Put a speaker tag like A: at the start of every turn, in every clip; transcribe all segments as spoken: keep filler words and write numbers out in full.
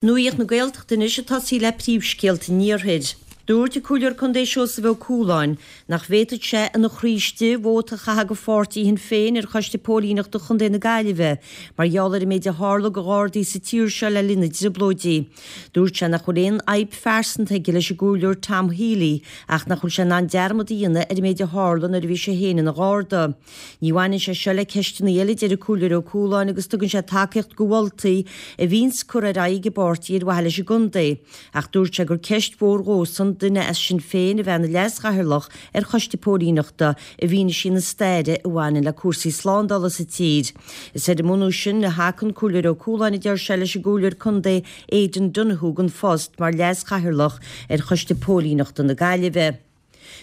A: Nuacht na Gaeltachta anois ag tosaí le príomhscéalta an Iarthair. Dúirt an Comhairleoir Contae Seosamh Ó Cualáin nach bhféadfadh sé ina chroí istigh vóta a chaitheamh do pháirtí Shinn Féin ar Choiste Póilíneachta Chontae na Gaillimhe mar gheall ar an méid a tharla do Ghardaí sa tír seo le linn na dTrioblóidí. Dúirt sé nach bhfuil aon fhadhb phearsanta aige leis an gComhairleoir Tom Healy ach nach bhfuil sé in ann dearmad a dhéanamh ar an méid a tharla nuair a bhí sé féin ina Gharda. Ní bhaineann sé seo le ceisteanna eile, a deir an Comhairleoir Ó Cualáin, agus tugann sé tacaíocht do mholtaí a bhíonns curtha ar aghaidh ag an bpáirtí ar mhaithe leis an gcontae, ach dúirt sé gur ceist mhór dhósan duine as Sinn Féin a bheith ina leas-chathaoirleach ar choiste póilíneachta i bhfianaise na staire a bhaineann le cúrsaí slándála sa tír. Is ar an mbunús sin a thacaigh an Comhairleoir Ó Cualáin, a deir sé, leis an gComhairleoir Contae Aidan Donoghue don phost mar leas-chathaoirleach ar choiste póilíneachta na Gaillimhe.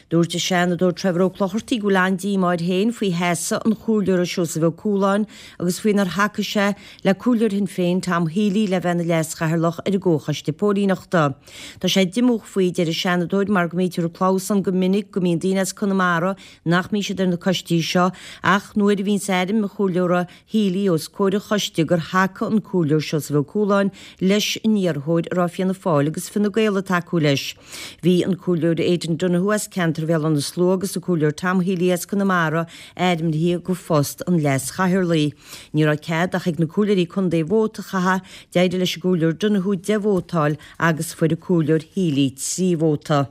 A: Dúirt an Seanadóir Trevor Ó Clochartaigh go bhfuil an-díomá air féin faoi sheasamh an Chomhairleora Seosamh Ó Cualáin agus faoi nár thacaigh sé le Comhairleoir Shinn Féin Tom Healy le bheith ina leas-chathaoirleach ar an gComhchoiste Póilíneachta. Tá sé diomúch faoi, a deir an Seanadóir, mar go mbítear ag clamhsán go minic go mbíonn daoine as Conamara nach mbíonn siad ar na coistí seo ach nuair a bhíonns ainm an Chomhairleora Healy os comhair an choiste gur thacaigh an Comhairleoir Seosamh Ó Cualáin leis an iarrthóir a raibh Fianna Fáil agus Fine Gael ag tacú leis. Bhí an Comhairleoir Aidan Donoghue as ceantar Bhéal Átha na Slua agus an Comhairleoir Tom Healy as Conamara ainmnithe go phost an Leas-Chathaoirligh. Ní raibh cead ach ag na Comhairleoirí Contae vóta a chaitheamh, d'éirigh leis an gComhairleoir Donoghue deich vóta a fháil agus fuair an Comhairleoir Healy trí vóta.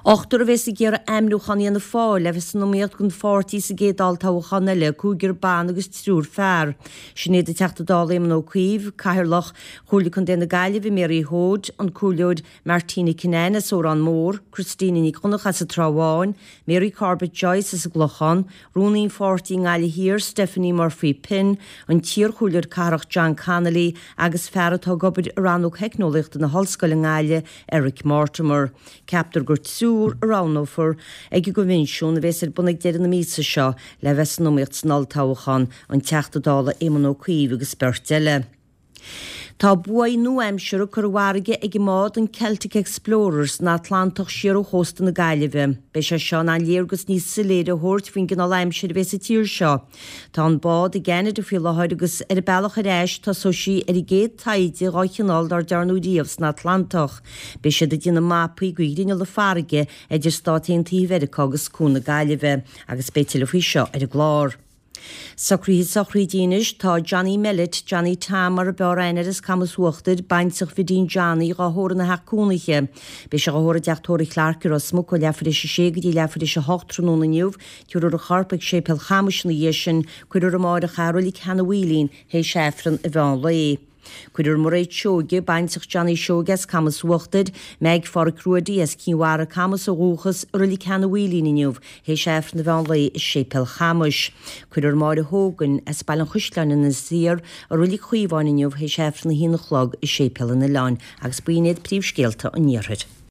A: Ochtar a bheas ag iarraidh ainmniúchán Fhianna Fáil le bheith san iomaíocht don pháirtí sa gcéad olltoghchán eile, cúigear ban agus triúr fear. Sin iad an Teachta Dála Éamon Ó Cuív, Cathaoirleach Chomhairle Contae na Gaillimhe Mary Hoade, an Comhairleoir Martina Kinane as Órán Mór, Christina Nic Dhonncha as an Trá Bháin, Mary Corbett Joyce as an gClochán, Rúnaí an pháirtí i nGaillimh Thiar, Stephanie Murphy Pinn, an t-iarchomhairleoir cathrach John Connolly agus fear atá ag obair i Rannóg Theicneolaíochta na hOllscoile i nGaillimh, Eric Mortimer. Ceaptar gur triúr a roghnófar ag an gcoinbhinsiún a bheas ar bun ag deireadh na míosa seo le bheith san iomaíocht san olltoghchán, an Teachta Dála Éamon Ó Cuív agus beirt eile. Tá buaidh nua-aimseartha curtha i bhfarraige ag an mbád an Celtic Explorer san Atlantach siar ó chósta na Gaillimhe. Beidh sé seo in ann léargas níos soiléire a thabhairt faoin gcineál aimsire a bheidh sa tír seo. Tá an bád i gCeanada faoi láthair agus ar a bealach ar ais tosóidh sí ar an gcéad taighde dhá chineál dár dearnadh riamh san Atlantach. Beidh siad ag déanamh mapaí de ghrinneall na farraige idir Stáit Aontaithe Mheiriceá agus Cuan na Gaillimhe agus beidh tuilleadh faoi seo ar an gclár. Socruithe sochraide anois, tá Johnny Mellett, Johnny Tom mar a b'fhearr aithne air as Camas Uachtair, baintreach Bhidín Johnny, dhá thórramh ina theach cónaithe. Beidh sé dhá thórramh i dteach tórraimh Clarke i Ros Muc ó leathuair théis a sé go dtí leathuair théis a hocht tráthnóna inniu. Tabharfar a chorp ag Séipéal Chamais ina dhiaidh sin. Cuirfear amáireach é i Reilig Sheanadh Mhaoilín théis Aifreann an mheán lae. Cuirfear Mairéad Seoige, baintreach Johnny Seoige as Camas Uachtair, Meaig Pháraic Ruaidí as Cinn Mhara, Camas ó dhúchas, i Reilig Sheanadh Mhaoilín inniu, théis Aifreann an mheán lae i Séipéal Chamais. Cuirfear Máire Hogan as Baile an Chaisleáin, Inis Oírr, i Reilig Chaomháin inniu, théis Aifreann a haon a chlog i Séipéal an Oileáin. Agus b'in iad príomhscéalta an Iarthair.